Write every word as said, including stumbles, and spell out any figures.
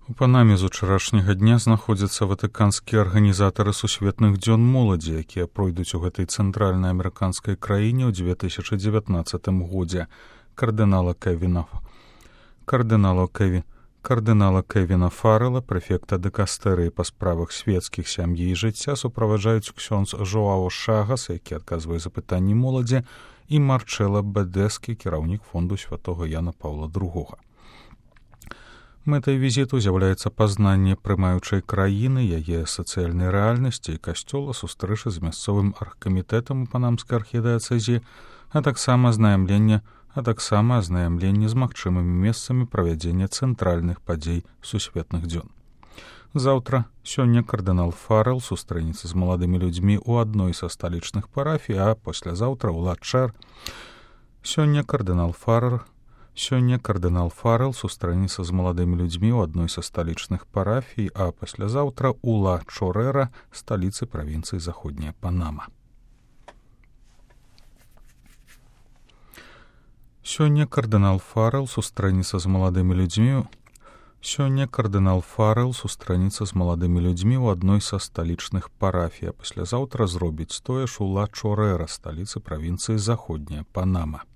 У Панаме з учарашняга дня знаходзяцца ватыканскія арганізатары сусветных дзён моладзі, якія пройдуць у гэтай цэнтральнай амерыканскай краіне ў две тысячы дзевятнаццатым годзе. Кардынала Кевіна кардынала Кеві кардынала Кевіна Фаррела, прэфекта дэкастэрыі па справах свецкіх сям'і і жыцця, суправаджаюць ксёндз Жоао Шагас, які адказвае за пытанні моладзі, і Марчэла Бэдэскі, кіраўнік фонду святога Яна Паўла другога. Мэтай візіту з'яўляецца пазнанне прымаючай краіны, яе сацыяльнай рэальнасці і касцёла, сустрэчы з мясцовым аргкамітэтам у панамскай архідыяцэзіі, а таксама азнаямленне, а таксама азнаямленне з магчымымі месцамі правядзення цэнтральных падзей сусветных дзён. Заўтра, сёння кардынал Фаррел сустрэнецца з маладымі людзьмі ў адной са сталічных парафій, а паслязаўтра ў Ла-Чэр. Сёння кардынал Фаррел Сёння кардынал Фаррел сустрэнецца з маладымі людзьмі ў адной са сталічных парафій, а паслязаўтра ў Ла-Чорера, сталіцы правінцыі Заходняя Панама. Сёння кардынал Фаррел сустрэнецца з маладымі людзьмі Сёння кардынал Фаррел сустрэнецца з маладымі людзьмі ў адной са сталічных парафій, а паслязаўтра зробіць тое ж у Ла-Чорера, сталіцы правінцыі Заходняя Панама.